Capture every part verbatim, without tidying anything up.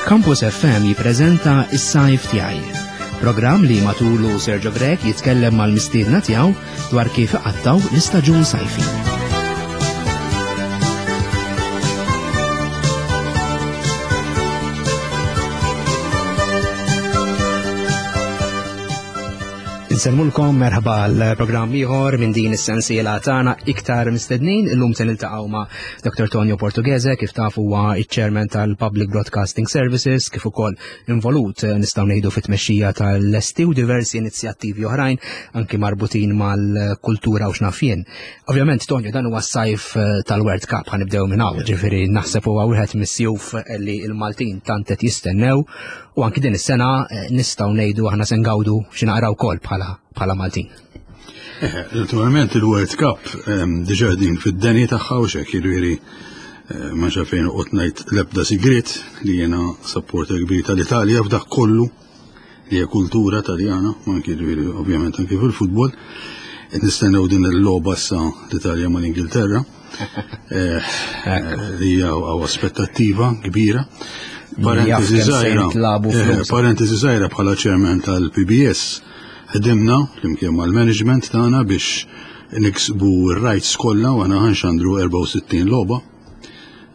Campus F M jippreżenta Is-Sajf Tiegħi. Programm li matulu Sergio Grech jitkellem mal-mistiedna tiegħu dwar kif iqattaw l-istaġun sajfi. Insellmulkom, merħba l-programm ieħor minn din is-sensiela tagħna Iktar Mistednin. Illum se niltaqgħu ma' Doctor Tonio Portughese, kif tafu huwa iċ-chairman tal-Public Broadcasting Services, kif ukoll involut, eh, nistgħu ngħidu, fit-tmexxija tal-Lesti u diversi inizjattivi oħrajn anki marbutin mal-kultura u x'naf jien. Ovvjament, Tonio, dan huwa s-sajf eh, tal-World Cup, ħa nibdew minn hawn, ġifieri naħseb huwa wieħed mis-sjuf li l-Maltin tant qed jistennew u anki din is-sena eh, nistgħu ngħidu aħna se ngawdu xi naqra wkoll bħala bħala Maltin. Eh, naturalment il-World Cup ehm, diġà din fid-deni tagħha u xek, jiġifieri eh, ma xafejn u ngħid l-ebda sigrit li jiena supporter kbir tal-Italja f'dak kollu li hija kultura taljana, ma anki, jiġifieri, ovvjament anki fil-futbol. Qed nistennew din il-logħba issa, l-Italja mal-Ingilterra. Eh, li hija aspettattiva kbira. Parentesi żgħira, parentesi żgħira, bħala chairman tal-P B S ħdimna flimkien mal-management tagħna biex niksbu r-rights kollha u aħna ħa nxandru erbgħa u sittin logħba.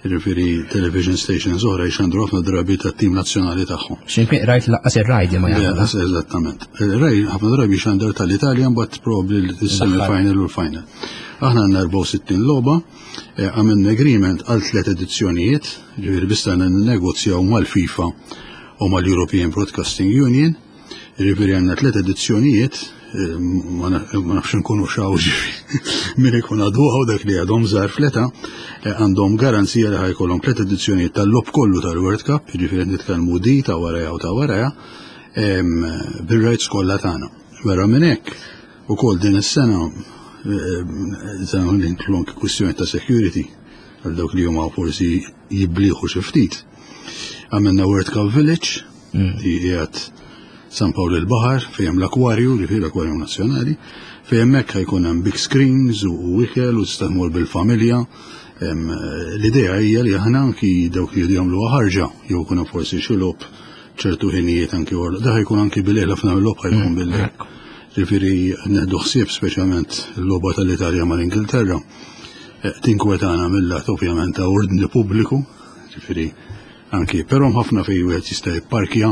Jiġifieri television stations oħra jxandru ħafna drabi tat-tim nazzjonali tagħhom. X'imkien rajt lanqas ir-Rai ma jagħmel. Eżattament. Ir-Rai ħafna drabi xandar tal-Italja, mbagħad probabbli l-semi-final u l-final. Aħna għandna erbgħa u sittin logħba, eh, għamilna agreement għal tliet edizzjonijiet, ġifieri bista negozjaw mal-FIFA u mal-European Broadcasting Union. Ġifieri għandna tliet edizzjonijiet, eh, ma nafx nkunu xaw, min ikun għadu għaw, dak li għadhom żgħar fl-età, eh, għandhom garanzija li ħa jkollhom tliet edizzjonijiet tal-logħob kollu tal-World Cup, ġifieri nitkellmu di ta' waraja u ta' waraja, bil-rights kollha tagħna. Vera minn hekk, ukoll din is-sena sena l-inklonk kwistjoni ta' security għal dawk li huma forsi jibliħu xi ftit. Għamilna World Cup Village, mm. li qiegħed San Pawl il-Baħar, fejn l-akwarju, li fih l-akwarju nazzjonali, fejn hemmhekk ħa jkun hemm big screens u ikel u tista' tmur bil-familja. L-idea hija li aħna anki dawk li jagħmlu ħarġa jew ikunu forsi xi logħob ċertu ħinijiet anki wara. Da ħa jkun anki bil-lejl, ħafna mill-logħob ħa jkun mm, bil-lejl. Ġifieri neħdu ħsieb speċjalment il-logħba tal-Italja mal-Ingilterra. Eh, tinkwetana mill-lat ovvjament ta' ordni pubbliku, ġifieri anki, però ħafna fejn wieħed jista' jipparkja,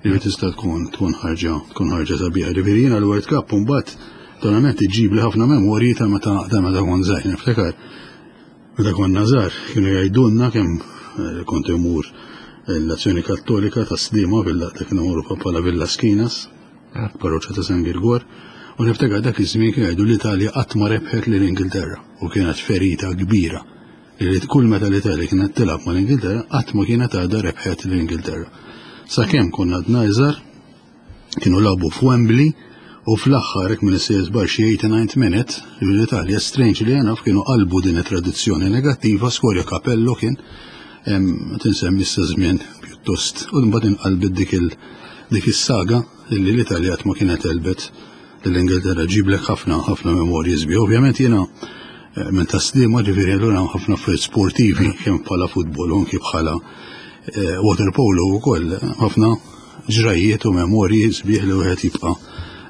li tista' tkun tkun ħarġa tkun ħarġa sabiħa. Ġifieri jiena l-World Cup mbagħad donament iġib li ħafna memorji ta' meta ta' meta kont żgħir. Niftakar meta konna żgħar kienu jgħidulna kemm eh, kont imur l-Azzjoni Kattolika ta' Sliema, villa ta' kienu imorru bħala Villa Skinas, ah. parroċċa ta' San Girgor, u niftakar dak iż-żmien kienu jgħidu l-Italja qatt ma rebħet lill-Ingilterra u kienet ferita kbira li kull meta l-Italja kienet tilgħab mal-Ingilterra qatt ma kienet għadha rebħet l-Ingilterra. Sakemm konna għadna iżgħar, kienu lagħbu f'Wembley u fl-aħħar, hekk minn is bar xi eighty-ninth minute, l-Italja, strange li enough, kienu qalbu din it-tradizzjoni negattiva, skorja Capello, kien tinsemmi issa żmien pjuttost, u mbagħad inqalbet dik il dik is-saga li l-Italja ma kienet għelbet l-Ingilterra. Ġiblek ħafna ħafna memorji sbieħ. Ovvjament jiena eh, minn ta' Sliema, ġifieri allura ħafna affarijiet sportivi kemm bħala futbol u anki bħala eh, water polo wkoll, ħafna ġrajiet u memorji sbieħ li wieħed jibqa'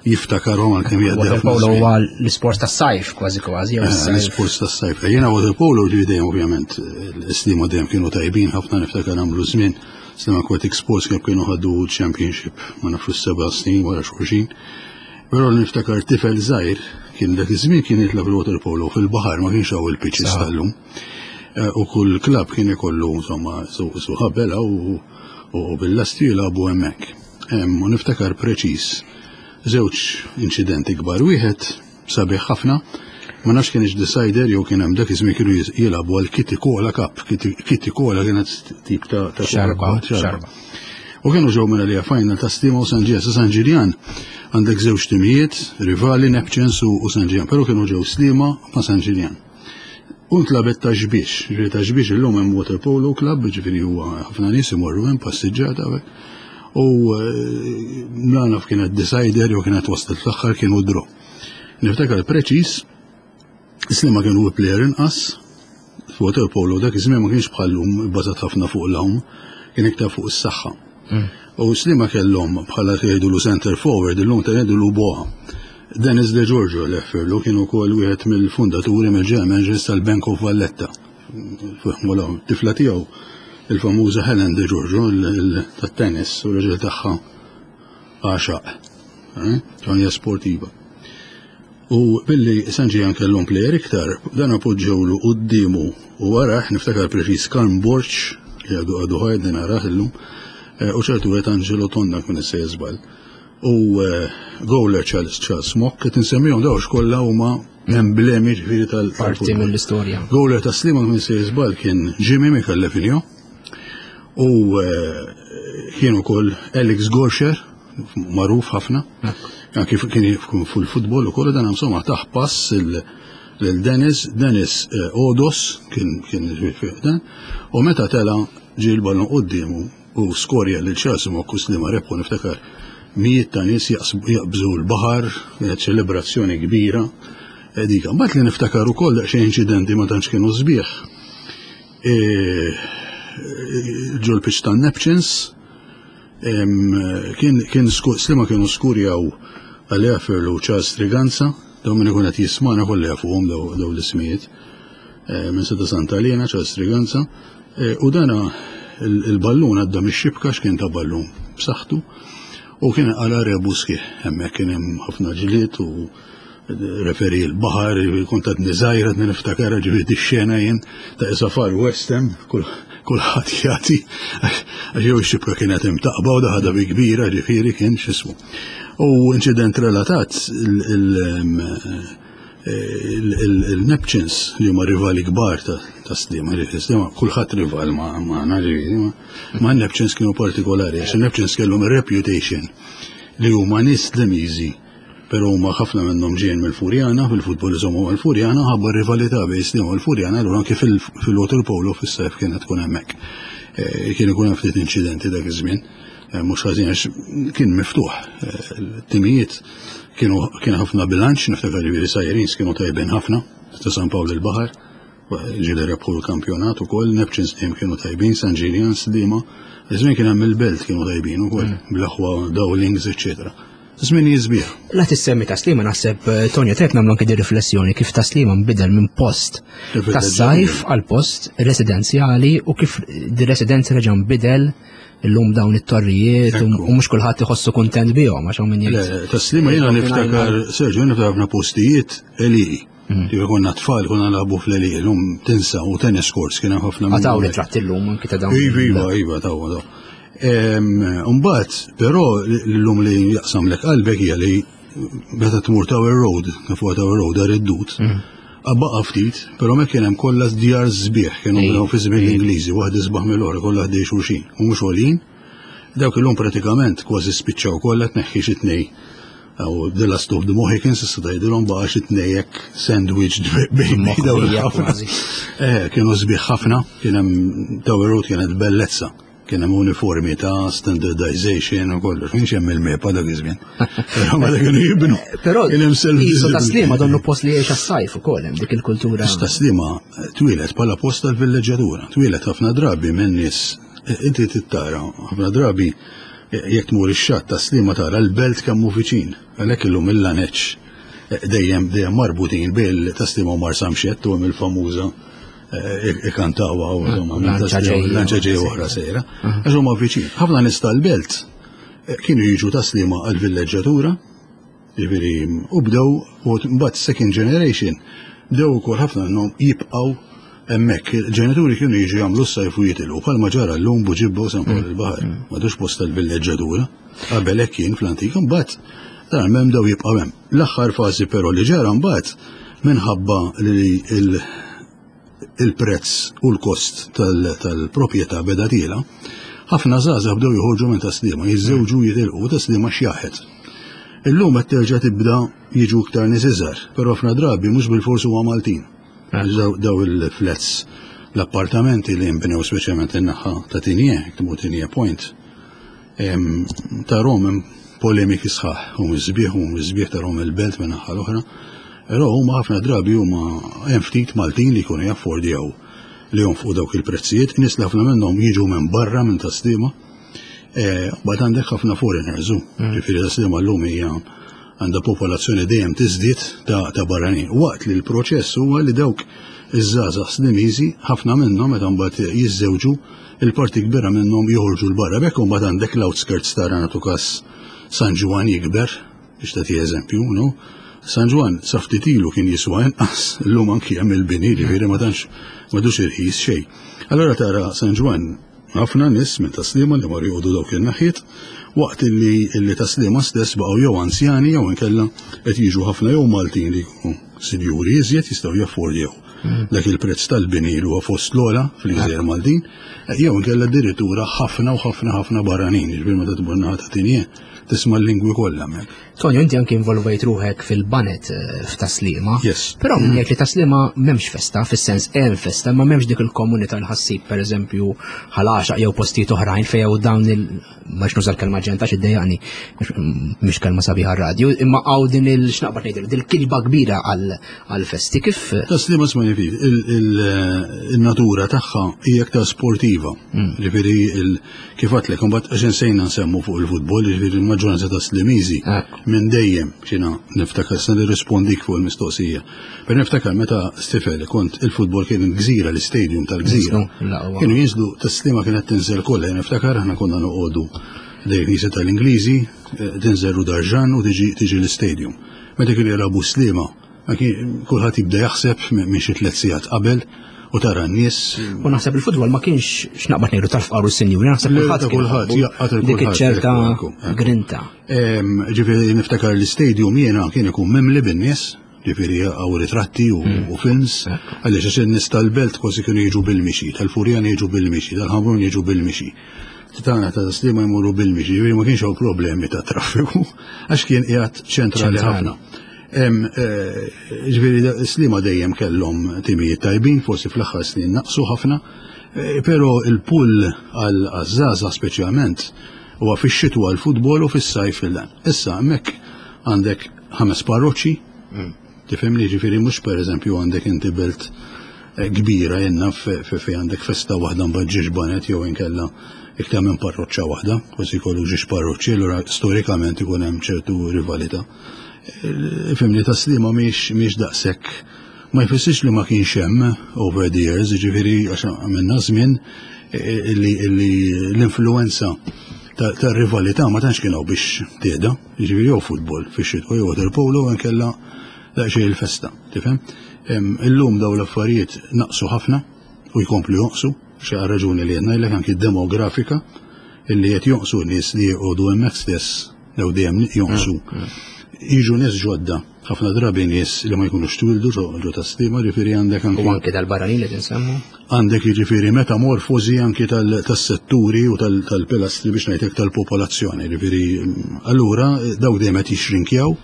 jiftakarhom għalkemm jgħaddi. Water polo huwa l-isport tas-sajf kważi kważi. Eh, l-isport tas-sajf. Jiena water polo ġieli dejjem, ovvjament l-Sliema dejjem kienu tajbin ħafna, niftakar għamlu żmien Sliema Aquatic Sports kif kienu ħadu championship, ma nafx, seba' snin wara xulxin. Però niftakar tifel żgħir kien dak iż-żmien kien jitlab il-water polo fil-baħar, ma kienx hawn il-pitches tal-lum. Eh, u kull klab kien ikollu insomma su ħabela u bil-lasti jilagħbu hemmhekk. U niftakar preċiż żewġ inċidenti kbar. Wieħed sabiħ ħafna, ma nafx kienx decider jew kien hemm dak iż-żmien kienu jilagħbu għal Kitty Cola Cup. Kitty Cola kienet tip ta' xarba. Xarba. U kienu ġew minn għalija final ta' Sliema u San Ġiljan. San Ġiljan għandek żewġ timijiet, rivali, Neptunes u San Ġiljan, però kienu ġew Sliema ma' San Ġiljan. U ntlagħbet Ta' Xbiex, ġifieri Ta' Xbiex illum hemm water polo club, ġifieri huwa ħafna nies imorru hemm passiġġata. U la naf kienet decider jew kienet waslet fl-aħħar, kienu draw. Niftakar preċiż, Sliema kienu player inqas, water polo dak iż-żmien ma kienx bħallum bbażat ħafna fuq l-għawm. Kien iktar fuq is-saħħa. U Sliema kellhom bħala jgħidulu center forward, illum ta' jgħidulu Boa. Dennis De Giorgio l-efferlu kien ukoll wieħed mill-fundaturi, mill-general managers tal-Bank of Valletta. Fihmu tifla tiegħu, il-famuża Helen De Giorgio tat-tennis, u raġel tagħha għaxaq. Tonja sportiva. U billi San Ġiljan kellhom player iktar, dan appoġġewlu quddiemu u waraħ, niftakar preċiż, Karm Borg li għadu għadu ħaj din narah illum, u ċertu għet Angelo Tonna kun issa jizbal. U goaler Charles Charles Mock, qed insemmihom daw kollha huma emblemi ġifieri tal Parti mill-istorja. Goaler ta' Sliema kun issa jizbal kien Jimmy Micallef. U kien ukoll Alex Gorsher, magħruf ħafna. Kif kien fil-futbol ukoll, dan insomma taħ pass lil Dennis, Dennis Odos kien kien dan, u meta tela ġie l-ballun quddiemu u skorja lil Charles Mock u Sliema rebħu. Niftakar mijiet ta' nies jaqbżu l-baħar, ċelebrazzjoni kbira. Dika, mbagħad li niftakar ukoll daqsxejn inċidenti ma tantx kienu sbieħ. Ġol pitch tan Neptunes, kien kien Sliema kienu skurjaw għal Ferlu Charles Triganza, daw minn ikun qed jismana kollha jafuhom daw l-ismijiet. Minn Seta Santa Elena, Charles Triganza, u dana il-ballun għadda mix-xibka, x'kien ta' ballun b'saħħtu, u kien għala rebu sħiħ, hemmhekk kien hemm ħafna ġlied u referi l-baħar, kont għadni żgħira niftakar ġifieri x-xena jien ta' isa Far West hemm, kulħadd jagħti, għax jew ix-xibka kienet imtaqba u daħada bi kbira, ġifieri kien x'ismu. U inċident relatat, il-Neptunes li huma rivali kbar ta' Sliema, Sliema kulħadd rival ma' ġifieri, ma' Neptunes kienu partikolari, għax il-Neptunes kellhom reputation li huma nies Slimiżi, pero huma ħafna minnhom ġejjin mill-Furjana, fil-futbol iżommu mill-Furjana, ħabba rivalità bejn Sliema u l-Furjana, allura anke fil-water polo fis-sajf kienet tkun hemmhekk. Kien ikun hemm ftit inċidenti dak iż-żmien, mhux ħażin għax kien miftuħ. Timijiet kienu kien ħafna bilanċ, niftakar ġifieri Sirens kienu tajbin ħafna, ta' San Pawl il-Baħar, ġieli rebħu l-kampjonat ukoll, Neptunes dejjem kienu tajbin, San Ġiljan, Sliema, iż-żmien kien hemm il-Belt kienu tajbin ukoll, bl-aħwa Dowlings, eċċetera. Żmien sbieħ. La tissemmi Tas-Sliema, naħseb, Tonio, trid nagħmlu anke di riflessjoni kif Tas-Sliema nbidel minn post tas-sajf għal post residenzjali u kif di residenza reġa' nbidel illum dawn it-torrijiet u mhux kulħadd iħossu kuntent bihom għax hawn min jgħid. Tas-Sliema jiena niftakar, Sergio, niftakar ħafna postijiet għelieqi. Kif konna tfal konna nilagħbu fl-għelieqi, illum tinsa, u tennis courts kien hemm ħafna. Għataw ritratti llum anke ta' dawn. Iva, iva, iva, taw, taw. Mbagħad, però l-lum li jaqsam lek qalbek hija li meta tmur Tower Road, fuq Tower Road dar id-dut, baqa' ftit, però me kien hemm kollha djar sbieħ, kienu bnew fi żmien l-Ingliżi, waħda isbaħ mill-oħra, kollha ħdej xulxin, u mhux għoljin. Dawk illum pratikament kważi spiċċaw kollha, tneħħi xi tnej. Aw The Last of the Mohicans, issa tgħidilhom baqa' xi tnejek sandwich bejn dawn il-ħafna. Eh, kienu sbieħ ħafna, kien hemm Tower Road kienet bellezza. Kien hemm uniformi ta' standardization u kollox, kienx hemm il-MEPA dak iż-żmien. Però meta kienu jibnu. Però kien hemm self Isu Tas-Sliema donnu post li jgħix għas-sajf ukoll hemm dik il-kultura. Tas-Sliema twieled bħala post tal-villeġġatura, twieled ħafna drabi minn nies, inti tittara ħafna drabi jekk tmur ix-xatt Tas-Sliema tara l-belt kemm hu viċin, għalhekk illum il-laneċ dejjem dejjem marbutin bil Tas-Sliema u Marsamxett u hemm il-famuża ikantawa u lanċa ġej oħra sejra. Għax huma viċin. Ħafna nies tal-belt kienu jiġu Tas-Sliema għal-villeġġatura, ġifieri, u bdew, u mbagħad second generation bdew ukoll ħafna minnhom jibqgħu hemmhekk. Il-ġenituri kienu jiġu jagħmlu s-sajf u jitilqu, bħalma ġara llum Buġibba u San Pawl il-Baħar. M'għadux post tal-villeġġatura. Qabel hekk kien fl-antik, mbagħad dan hemm bdew jibqgħu hemm. L-aħħar fażi però li ġara mbagħad minħabba li il- il-prezz u l-kost tal-proprjetà beda tiela, ħafna żgħażagħ bdew joħorġu minn Tas-Sliema, jiżżewġu, jitilqu, Tas-Sliema xjaħet. Illum qed terġa' tibda jiġu iktar nies iżgħar, però ħafna drabi mhux bilfors huwa Maltin. Daw il-flats, l-appartamenti li nbnew speċjalment in-naħa ta' Tignè, tmur Tignè Point, ta' rom polemiki sħaħ, u sbieħ u sbieħ ta' rom il-belt minn naħa l-oħra. Però huma ħafna drabi huma hemm ftit Maltin li jkunu jaffordjaw li jonfqu dawk il-prezzijiet, nies li ħafna minnhom jiġu minn barra minn Tas-Sliema. Mbagħad għandek ħafna foreigners, ġifieri Tas-Sliema llum hija għandha popolazzjoni dejjem tiżdied ta' barranin. Waqt li l-proċess huwa li dawk iż-żgħażagħ Slimiżi ħafna minnhom meta mbagħad jiżżewġu, il-parti kbira minnhom joħorġu 'l barra. B'hekk imbagħad għandek l-outskirts tara, nagħtu każ, San Ġwann jikber, biex tagħti eżempju, no? San Ġwann sa ftit ilu kien jiswa inqas, illum anki hemm il-bini, ġifieri ma tantx m'għadux irħis xejn. Allora tara San Ġwann ħafna nies minn Tas-Sliema li marru joqogħdu dawk in-naħiet, waqt illi illi Tas-Sliema stess baqgħu jew anzjani jew inkella qed jiġu ħafna jew Maltin li jkunu sinjuri iżjed, jistgħu jaffordjaw dak il-prezz tal-bini li huwa fost l-ogħla fil-Gżejjer Maltin, jew inkella addirittura ħafna u ħafna ħafna barranin, ġifieri meta tmur naħa ta' Tignè tisma' l-lingwi kollha hemmhekk. Tonio, inti anki involvejt ruħek fil-baned eh, f'Tas-Sliema. Yes. Però min jgħid li Tas-Sliema m'hemmx festa, fis-sens hemm festa, ma m'hemmx dik il-komunità l-ħassib, pereżempju, Ħal Għaxaq jew postijiet oħrajn fejn hawn dawn il ma nuża l-kelma ġenta għax iddejjaqni, mhix kelma sabiħa radio, imma hawn din il x'naqbad ngħidlu, din il-kilba kbira għal-festi kif. Tas-Sliema, smajni ftit, il-natura tagħha hija aktar sportiva. Ġifieri kif għedtlek, imbagħad għax insejna nsemmu fuq il-futbol, ġifieri il-maġġoranza ta' Slimiżi minn dejjem, xina niftakar se nirrispondik fuq il-mistoqsija. Per niftakar meta tifel kont, il-futbol kien il-Gżira, l-istadium tal-Gżira. Kienu jinżlu, Tas-Sliema kienet tinżel kollha, niftakar aħna konna noqogħdu ħdejn knisja tal-Ingliżi, tinżel Darġan u tiġi l-istadium. Meta kienu jilagħbu Sliema, kulħadd jibda jaħseb minn xi tliet sigħat qabel u tara n-nies. U naħseb il-futbol ma kienx, x'naqbad ngħidu, tal-fqar u s-sinjuri, naħseb kulħadd kulħadd jaqgħad dik iċ-ċerta grinta. Ġifieri niftakar l-istadium jiena kien ikun mimli bin-nies, ġifieri hawn ritratti u mm. films, għaliex għax in-nies tal-belt kważi kienu jiġu bil-mixi, tal-Furjana jiġu bil-mixi, tal-Ħamrun jiġu bil-mixi. Titana ta' Sliema jmorru bil-mixi, ġifieri ma kienx hawn problemi ta' traffiku, għax kien qiegħed ċentrali ħafna. Eh, ġifieri Sliema dejjem kellhom timijiet tajbin, forsi fl-aħħar snin naqsu ħafna, eh, però il-pull għal-żgħażagħ speċjalment huwa fix-xitwa l-futbol u fis-sajf il-dan. Issa hemmhekk għandek ħames parroċċi, mm. tifhimni, ġifieri mhux pereżempju għandek inti belt eh, kbira jenna fi għandek festa waħda, mbagħad żewġ baned jew inkella iktar minn parroċċa waħda, kważi jkollu żewġ parroċċi, allura storikament ikun hemm ċertu rivalità. Fhimni, Tas-Sliema mhix mhix daqshekk, ma jfissirx li ma kienx hemm over the years, ġifieri għax għamilna żmien illi l-influenza ta' rivalità ma tantx kienu biex tieda, ġifieri jew futbol fix-xitwa jew water polo, nkella daqsxejn il-festa, tifhem? Illum daw l-affarijiet naqsu ħafna u jkomplu jonqsu, xi raġuni li qed anki demografika illi qed jonqsu nies li jqogħdu hemmhekk stess jew dejjem jonqsu. Mm, mm. Jiġu nies ġodda, ħafna drabi nies li ma jkunux twildu ġo Tas-Sliema, ġifieri għandek anki. U anki dal-barranin li tinsemmu? Għandek jiġifieri metamorfosi anki tas-setturi u tal-pilastri, biex ngħidlek, tal-popolazzjoni. Ġifieri allura daw dejjem qed jixrinkjaw,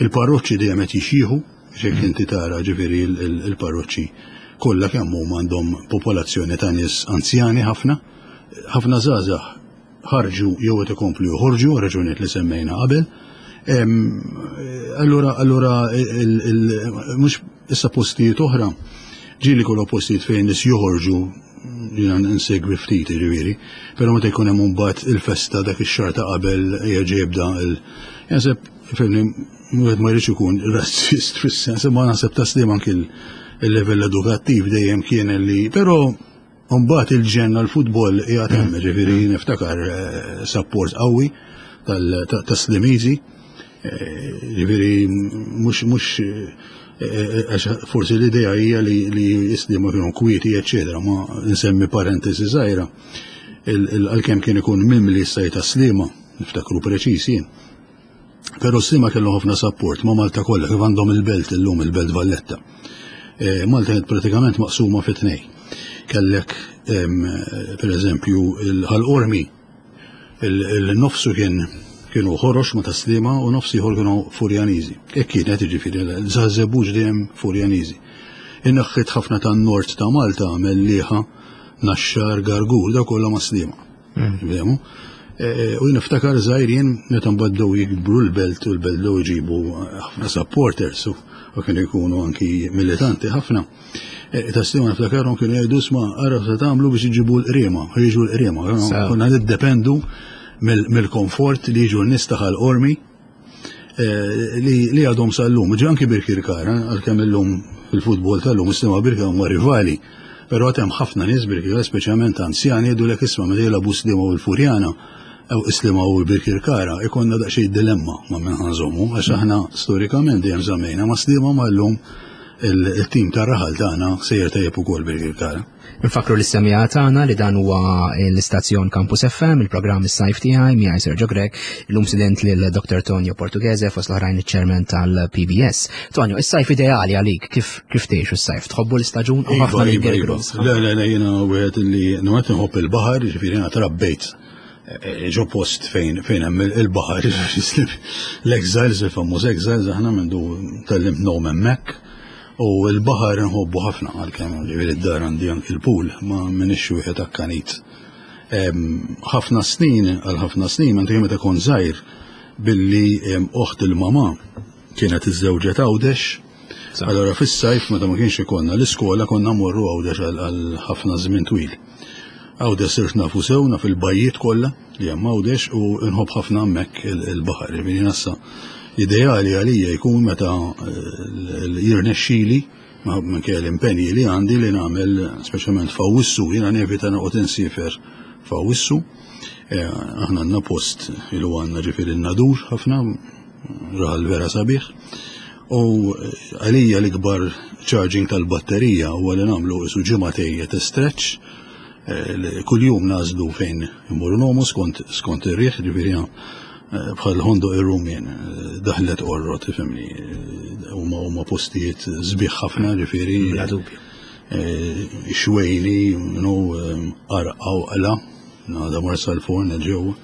il-parroċċi dejjem qed jixjieħu, xek inti tara ġifieri il-parroċċi kollha kemm huma għandhom popolazzjoni ta' nies anzjani ħafna, ħafna żgħażagħ ħarġu jew qed ikomplu joħorġu, raġunijiet li semmejna qabel. Allura, allura mhux issa postijiet oħra, ġieli kollu postijiet fejn nies joħorġu, jiena nsegwi ftit ġifieri, però meta jkun hemm mbagħad il-festa dak ix-xahar ta' qabel jerġa' jibda il Jaħseb, fhimni, wieħed ma jridx ikun razzist fis-sens, imma naħseb Tas-Sliema anki il-level edukattiv dejjem kien li, però mbagħad il-ġenna l-futbol qiegħed hemm, ġifieri niftakar eh, support qawwi tas-Slimiżi, eh, ġifieri mhux mhux eh, għax forsi l-idea hija li li Sliema kienu kwieti, eċċetera, ma nsemmi parentesi żgħira. Għalkemm kien ikun mimli s-sajt Tas-Sliema, niftakru preċis jien. Però Sliema kellu ħafna support ma' Malta kollha, kif għandhom il-belt illum, il-Belt Valletta. Malta kienet pratikament maqsuma fi tnej. Kellek, per eżempju, il-Ħal Qormi, il-nofsu kien kienu ħorox ma' Tas-Sliema u nofs ieħor kienu Furjaniżi. Hekk kienet, jiġifieri Żebbuġ dejjem Furjaniżi. In-naħħiet ħafna tan-nord ta' Malta, Mellieħa, Naxxar, Gargur, da kollha ma' Sliema. Mm. E, u niftakar żgħir jien meta mbagħad bdew jikbru l-belt u l-belt bdew jġibu ħafna supporters u kienu jkunu anki militanti ħafna. Eh, Ta' Sliema niftakarhom kienu jgħidu isma' ara se tagħmlu biex iġibu l-qriema, jiġu l-qriema. Sew. Konna niddependu mill- mill-komfort li jiġu n-nies ta' Ħal Qormi eh, li li għadhom sal-lum. Ġi anki Birkirkara, għalkemm illum fil-futbol tal-lum Sliema Birkirkara huma rivali. Però għad hemm ħafna nies Birkirkara, speċjalment anzjani, jgħidu lek isma' meta jilagħbu Sliema u l-Furjana, jew Sliema u l-Birkirkara, ikonna daqsxejn dilemma ma' minn ħa nżommu, għax aħna storikament dejjem żammejna ma' Sliema ma' llum il-tim tar-raħal tagħna sejjer tajjeb ukoll Birkirkara. Nfakru lis-semmiegħa tagħna li dan huwa l-istazzjon Campus F M, il-programm Is-Sajf Tiegħi miegħi Sergio Grech, illum mistieden lil Doktor Tonio Portughese, fost l-oħrajn iċ-chairman tal-P B S. Tonio, is-sajf ideali għalik, kif kif tgħixu s-sajf? Tħobbu l-istaġun u ħafna Iva, li iva, iva. Le, le, le, jiena wieħed li nwet nħobb il-baħar, ġifieri jiena trabbejt eh, ġo post fejn fejn hemm il-baħar, l-Exiles, il-famuż Exiles, aħna mindu tgħallimt ngħum hemmhekk. U l-baħar nħobbu ħafna, għalkemm ġifieri d-dar għandi anki l-pool, ma minix wieħed akkanit. Em, ħafna snin, għal ħafna snin, meta meta kont żgħir, billi em, oħt il-mama kienet iżżewġet Għawdex. Allora fis-sajf meta ma kienx ikollna l-iskola konna mmorru Għawdex għal għal ħafna żmien twil. Għawdex sirt nafu sew, naf il-bajjiet kollha li hemm Għawdex u nħobb ħafna hemmhekk il- il-baħar. Ġifieri nassa ideali għalija jkun meta eh, jirnexxili ma minkejja l-impenji li għandi li nagħmel, speċjalment f'Awwissu, jiena nevita noqgħod insiefer f'Awwissu. Eh, Aħna għandna post ilu għandna, ġifieri n-Nadur, ħafna raħal vera sabiħ. U eh, għalija l-ikbar charging tal-batterija huwa li nagħmlu isu ġimagħtejn ta' stretch eh, li kull-jum nagħżlu fejn immorru ngħumu skont skont ir-riħ, ġifieri eh, bħal Ħondoq ir-Rummien, eh, Daħlet Qorrot, tifhimni, eh, huma huma postijiet sbieħ ħafna, ġifieri. Bla dubju. eh, Xwejni, you Għarqa u Qla, nada Marsalforn ġewwa.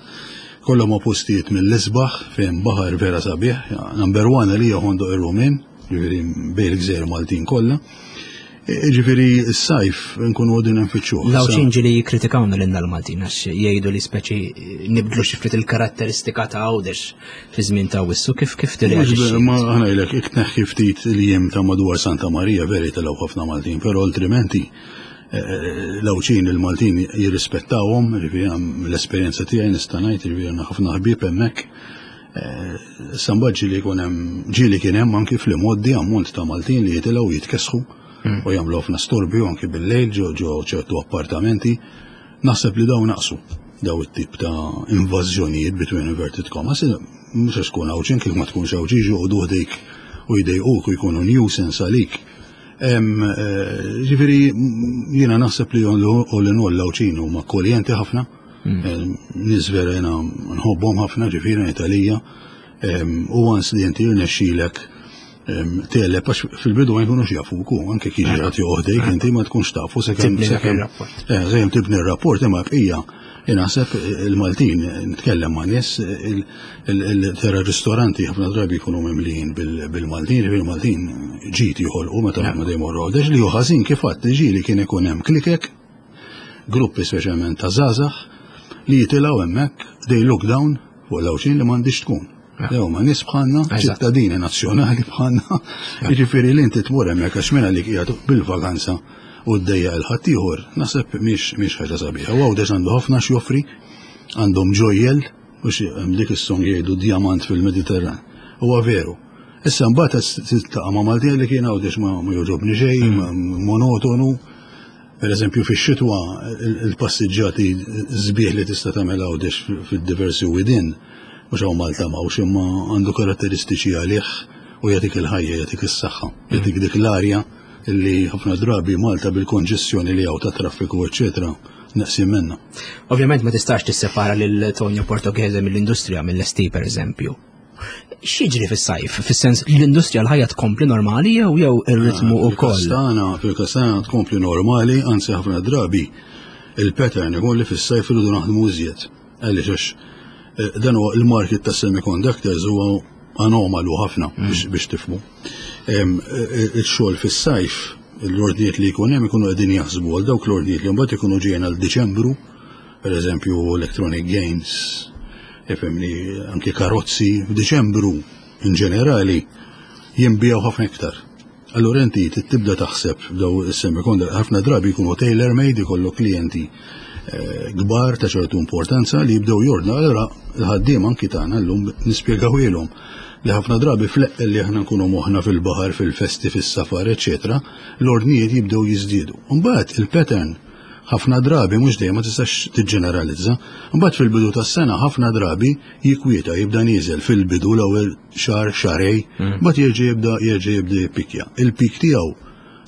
Kollha ma postijiet mill-isbaħ fejn baħar vera sabiħ. Number one għalija Ħondoq ir-Rummien, ġifieri bejn il-gżejjer Maltin kollha. E, Ġifieri s-sajf nkunu għodin nfittxuh. L-Għawdxin ġieli jikkritikawna lilna l-Maltin għax jgħidu li speċi nibdlu xi ftit il-karatteristika ta' Għawdex fi żmien ta' Wissu. Kif kif tirreaġixxi? Ma ħa ngħidlek, jekk tneħħi ftit il-jiem ta' madwar Santa Maria veri telgħu ħafna Maltin, però altrimenti eh, l-Għawdxin il-Maltin jirrispettawhom, ġifieri l-esperjenza tiegħi nista' ngħid, ġifieri għandna ħafna ħbieb hemmhekk. Samba ġieli jkun hemm, ġieli kien hemm anki fl-imgħoddi ammont ta' Maltin li jitilgħu jitkessħu u jagħmlu ħafna storbju anki bil-lejl ġo ġo ċertu appartamenti. Naħseb li daw naqsu daw it-tip ta' invażjonijiet between inverted commas, mhux għax tkun Għawdxin, kif ma tkunx Għawdxi joqogħdu ħdejk u jdejquk u jkunu nuisance għalik. Em, eh, Ġifieri jiena naħseb li all in all l-Għawdxin huma akkoljenti ħafna, Em, nies vera jiena nħobbhom ħafna, ġifieri Italija. U once li inti jirnexxilek tegħleb, għax fil-bidu ma jkunux jafuku, anke kif ġrat joħdejk, inti ma tkunx tafu sakemm Tibni dak sakemm ir-rapport. Eh, sakemm tibni r-rapport, imma bqija naħseb il-Maltin, nitkellem ma' nies, il-tera ristoranti ħafna drabi jkunu mimlijin bil-Maltin, bil-Maltin ġit joħolqu meta ma dejjem morru Għawdex, li hu ħażin kif għadt ġieli kien ikun hemm klikek, gruppi speċjalment ta' żgħażagħ li jitilgħu hemmhekk, they look down fuq l-Għawdxin, li m'għandix tkun. Dew ma nies bħalna, Eżatt. ċittadini nazzjonali bħalna, jiġifieri li inti tmur hemmhekk għax minn għalik qiegħed bil-vaganza u ddejjaq il-ħaddieħor, naħseb mhix mhix ħaġa sabiħa. U Għawdex għandu ħafna x'joffri, għandhom ġojjel, u xi hemm dik is-song jgħidu diamant fil-Mediterran. Huwa veru. Issa mbagħad tiltaqa' ma' Maltin li kien Għawdex ma ma jogħġobni xejn, ma- monotonu. Per eżempju, fix-xitwa il-passiġġati sbieħ li tista' tagħmel Għawdex fid-diversi widien, mhux hawn Malta m'hawnx, imma għandu karatteristiċi għalih u jagħtik il-ħajja, jagħtik is-saħħa, jagħtik dik l-arja illi ħafna drabi Malta bil-konġestjoni li hawn ta' traffiku eċċetera neqsin minna. Ovvjament ma tistax tissepara lil Tonio Portoghese mill-industrija, mill-S T per eżempju. X'jiġri fis-sajf? Fis-sens l-industrija, l-ħajja tkompli normali jew jew ir-ritmu ukoll? Fil-każ tagħna, fil-każ tagħna tkompli normali, anzi ħafna drabi il-pattern ikun li fis-sajf irridu naħdmu iżjed. Għaliex għax eh, dan huwa il-market ta' semiconductors huwa anomalu ħafna biex biex tifhmu. Em, eh, Il-xogħol fis-sajf, l-ordnijiet li jkun hemm ikunu qegħdin jaħsbu għal dawk l-ordnijiet li mbagħad ikunu ġejjin għal Diċembru, per eżempju electronic games, ifhimni, anki karozzi, f'Diċembru in ġenerali jinbiegħu ħafna iktar. Allura inti tibda taħseb daw is-semiconductor ħafna drabi jkunu tailor-made, ikollu klijenti eh, kbar ta' ċertu importanza li jibdew jordna. Allura l-ħaddiem anki tagħna llum nispjegawilhom li ħafna drabi fleq li aħna nkunu moħna fil-baħar, fil-festi, fis-safar, eċetera, l-ordnijiet jibdew jiżdiedu. Mbagħad il-pattern ħafna drabi, mhux dejjem, ma tistax tiġġeneralizza, mbagħad fil-bidu tas-sena ħafna drabi jikwieta, jibda nieżel fil-bidu, l-ewwel xahar, xahrejn, mbagħad jerġa' jibda jerġa' jibda jippikja. Il-pik tiegħu,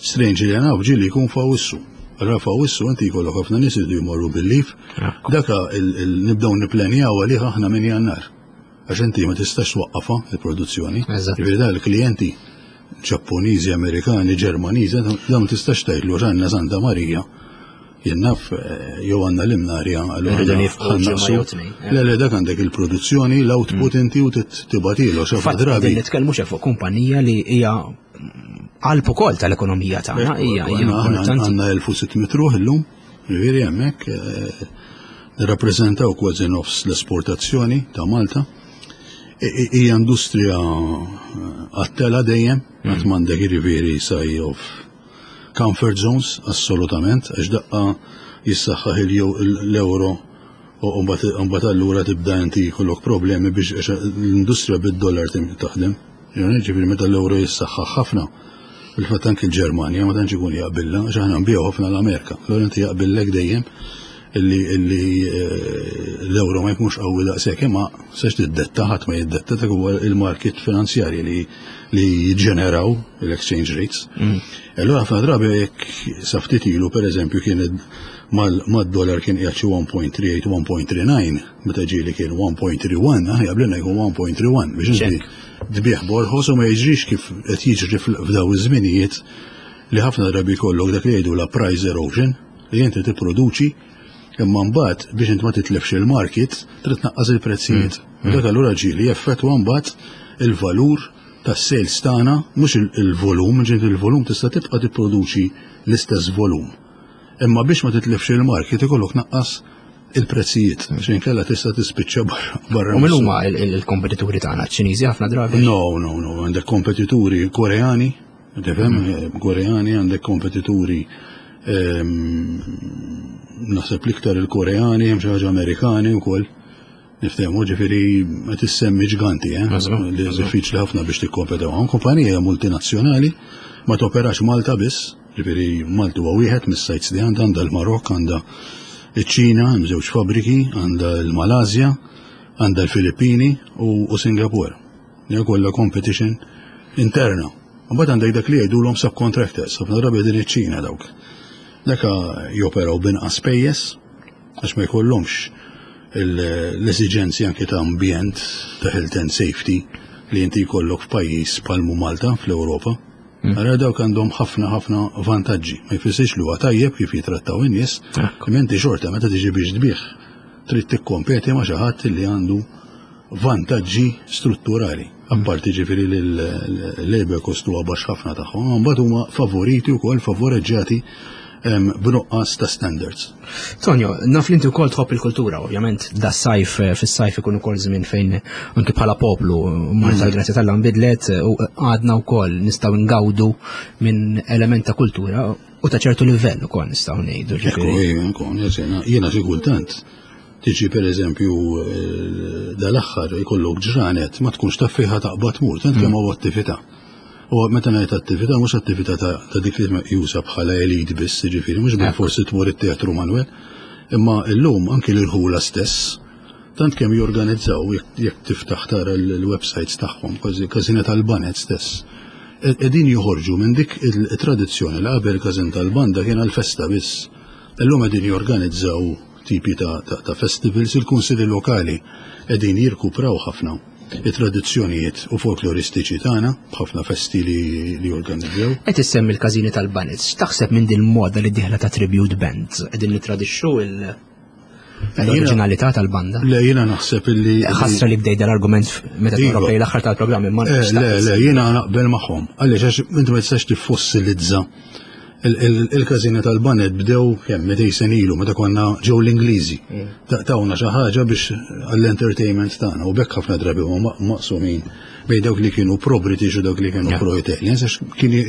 strangely enough, ġieli jkun f'Awwissu. Allura f'Awwissu inti jkollok ħafna nies iridu jmorru bil-leave. Daka nibdew nipplanjaw għalih aħna minn Jannar. Għax inti ma tistax twaqqafha il-produzzjoni. Eżatt. Ġifieri da l-klijenti Ġappuniżi, Amerikani, Ġermaniżi, dawn ma tistax tgħidlu għandna Santa Marija. Jien naf eh, jew għandna l-Imnarja, allura Rridu nifqu ħa ġimgħa naqsu. jew tnejn, eh. Le, le, dak għandek il-produzzjoni, l-output inti u tibgħatilu. Xi Fatt drabi. qegħdin nitkellmu xe fuq kumpanija li hija qalb ukoll tal-ekonomija tagħna, hija hija importanti. Għandna elf u sitt mitt ruħ illum, ġifieri hemmhekk eh, nirrappreżentaw kważi nofs l-esportazzjoni ta' Malta. I- i- Hija industrija eh, għat-telgħa dejjem, qatt m'għandek jiġifieri say of comfort zones, assolutament, għax daqqa jissaħħaħ l-euro u mbagħad allura tibda inti jkollok problemi biex, għax l-industrija bid-dollar tim- taħdem. Ġifieri meta l-euro jissaħħaħ ħafna, fil-fatt anki l-Ġermanja ma tantx ikun jaqbilla, għax aħna nbigħu ħafna l-Amerika. Allura inti jaqbillek dejjem illi illi eh, l-euro ma jkunx qawwi daqshekk, imma sex tiddetta, ħadd ma jiddetta, dak huwa il-market finanzjarji li li jiġġeneraw l-exchange rates. Allura ħafna drabi jekk sa ftit ilu, pereżempju, kien mad-dollar kien qiegħed xi wieħed punt tlieta tmiem, wieħed punt tlieta tnejn, meta ġieli kien wieħed punt tlieta wieħed, aħna jaqblilna jkun wieħed punt tlieta wieħed biex inti tbigħ b'orħos u ma jiġrix kif qed jiġri f'daw iż-żminijiet li ħafna drabi jkollok dak li jgħidu la price erosion, li inti tipproduċi imma mbagħad biex inti ma titlefx il-market trid tnaqqas il-prezzijiet. U dak allura ġieli jeffettwa mbagħad il-valur tas-sales tagħna, mhux il-volum, ġieli il-volum tista' tibqa' tipproduċi l-istess volum. Imma biex ma titlefx il-market ikollok naqqas il-prezzijiet, xejn kella tista' tispiċċa barra. U min huma il-kompetituri tagħna? Ċiniżi ħafna drabi? No, no, no, għandek kompetituri Koreani, tifhem, Koreani, għandek kompetituri ehm, naħseb l-iktar il-Koreani, hemm xi ħaġa Amerikani wkoll. Niftehmu, ġifieri ma tissemmi ġganti, eh? Li diffiċli ħafna biex tikkompetaw. Hawn kumpanija multinazzjonali, ma toperax Malta biss, ġifieri Malta huwa wieħed mis-sites li għandha, għandha l-Marokk, għandha iċ-Ċina, hemm żewġ fabbriki, għandha l-Malasja, għandha l-Filippini u, u Singapore. Hija kollha competition interna. Mbagħad għandek dak li jgħidulhom subcontractors, ħafna drabi din iċ-Ċina dawk. Daka joperaw binqas spejjeż għax ma jkollhomx l-esiġenzi anke ta' ambjent, ta' health and safety li inti jkollok f'pajjiż bħal Malta fl-Ewropa. Ara dawk għandhom ħafna ħafna vantaġġi. Ma jfissirx li huwa tajjeb kif jitrattaw in-nies, imma inti xorta meta tiġi biex tbigħ trid tikkompeti ma' xi ħadd li għandu vantaġġi strutturali. Apparti ġifieri li l-labor cost huwa baxx ħafna tagħhom, mbagħad huma favoriti wkoll, favoreġġjati b'nuqqas ta' standards. Tonio, naf li inti wkoll tħobb il-kultura, ovvjament da sajf, fis-sajf ikun ukoll żmien fejn anki bħala poplu Malta, mm. grazzi t'Alla, nbidlet u għadna wkoll nistgħu ngawdu minn element ta' kultura u ta' ċertu livell ukoll nistgħu ngħidu. Ekku, jiena xi kultant tiġi, per eżempju, eh, dal-aħħar ikollok ġranet ma tkunx taf fejn taqbad tmur, tant kemm hawn attività. U meta ngħid attività, mhux attività ta' dik li meqjusa bħala elite biss, jiġifieri mhux bil forsi tmur it-teatru Manuel, imma llum anki l-ħula stess tant kemm jorganizzaw, jekk tiftaħ tara l-websites tagħhom, kważi każina tal-baned stess. Qegħdin joħorġu minn dik il-tradizzjoni li qabel każin tal-banda kien għal-festa biss. Illum qegħdin jorganizzaw tipi ta', ta, ta festivals, il-kunsilli lokali qegħdin jirkupraw ħafna it-tradizzjonijiet u folkloristiċi tagħna b'ħafna festi li, li jorganizzaw. Qed issemmi l-każini tal-baned, x'taħseb minn din moda li dieħla ta' tribute bands? Qegħdin nitradixxu il- l-oriġinalità tal-banda? Le, jiena naħseb illi. Ħasra li bdejt dal-argument meta Iva. toqrob l-aħħar tal-programm, imma Eh, Le, le, jiena naqbel magħhom. Għaliex? Għax inti ma tistax tiffossilizza. Il-każini tal-baned bdew kemm mitejn sena ilu meta konna ġew l-Ingliżi. Tawna xi ħaġa biex għall-entertainment tagħna u bekk ħafna drabi huma maqsumin bejn dawk li kienu pro-British u dawk li kienu pro-Italians, għax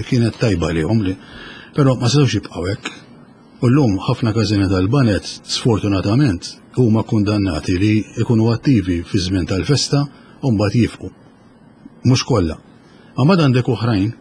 kienet tajba lihom li. Però ma setgħux jibqgħu hekk. U llum ħafna każini tal-baned, sfortunatament, huma kundannati li jkunu attivi fi żmien tal-festa u mbagħad jifqu. Mhux kollha. Ma mbagħad għandek oħrajn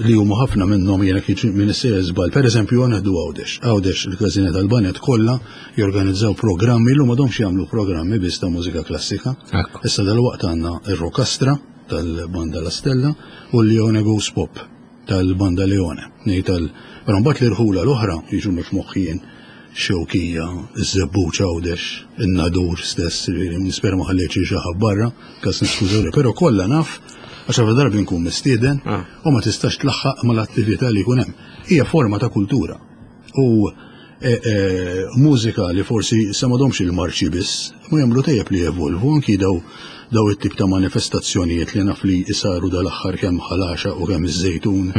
li huma ħafna minnhom jiena kif minn issejjer żball. Pereżempju nieħdu Għawdex. Għawdex il-każini tal-baned kollha jorganizzaw programmi li m'għadhomx jagħmlu programmi biss ta' mużika klassika. Ekku. Issa dalwaqt għandna ir-Rokastra tal-Banda La Stella u l-Leone Goes Pop tal-Banda Leone. Nej tal Però mbagħad l-irħula l-oħra jiġu mhux moħħijin Xewkija, iż-Żebbuġ Għawdex, in-Nadur stess, ġifieri, nispera ma ħallejtx xi ħadd barra, kas niskużawni, però kollha naf għax ħafna darbi nkun mistieden Ah. u ma tistax tlaħħaq mal-attività li jkun hemm. Hija forma ta' kultura. U e, e, mużika li forsi sa m'għadhomx il-marċi biss, ma jagħmlu tajjeb li jevolvu anki daw daw it-tip ta' manifestazzjonijiet li naf li isaru dal-aħħar kemm Ħal Għaxaq u kemm iż-Żejtun,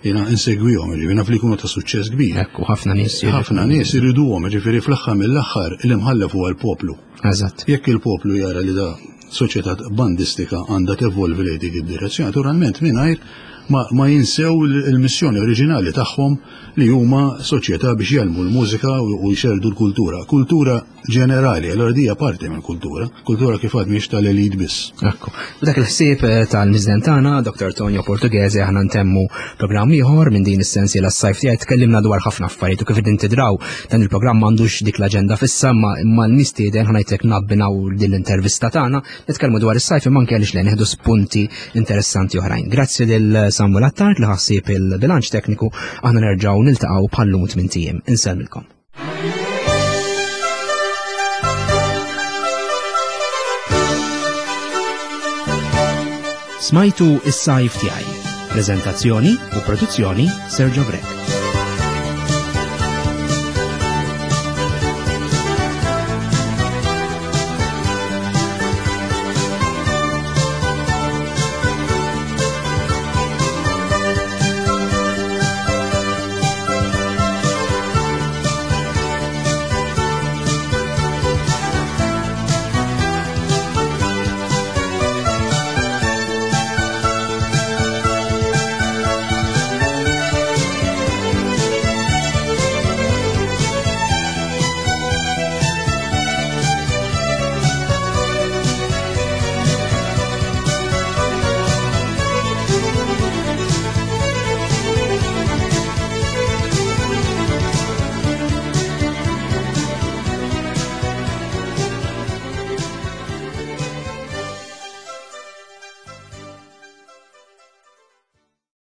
jiena insegwihom, ġifieri naf li jkunu ta' suċċess kbir. Ekku, ħafna nies. Ħafna nies iriduhom, ġifieri fl-aħħar mill-aħħar l-imħallef huwa l-poplu. Eżatt. Jekk il-poplu jara li da soċjetà bandistika għandha tevolvi lejn dik id-direzzjoni, naturalment mingħajr ma, ma jinsew il-missjoni oriġinali tagħhom li huma soċjetà biex jgħallmu l-mużika u, u jxerdu l-kultura. Kultura ġenerali, allora dija parti mill kultura, kultura kif għad mhix tal-elit biss. Ekku. U dak il-ħsieb eh, tal-mistieden tagħna, Dr. Tonio Portughese, aħna ntemmu programm ieħor minn din is-sensiela s-sajf tiegħi tkellimna dwar ħafna affarijiet u kif qegħdin tidraw dan il-programm m'għandux dik l-aġenda fissa ma imma l-mistieden ħa ngħidlek nabbinaw din l-intervista tagħna nitkellmu dwar is-sajf imma anke għaliex le nieħdu spunti interessanti oħrajn. Grazzi lil Samuel Attard li ħassib il-bilanċ tekniku aħna nerġgħu niltaqgħu bħallum tmint ijiem. Insellmilkom. Smajtu is-sajf tiegħi. Prezentazzjoni u produzzjoni Sergio Grech.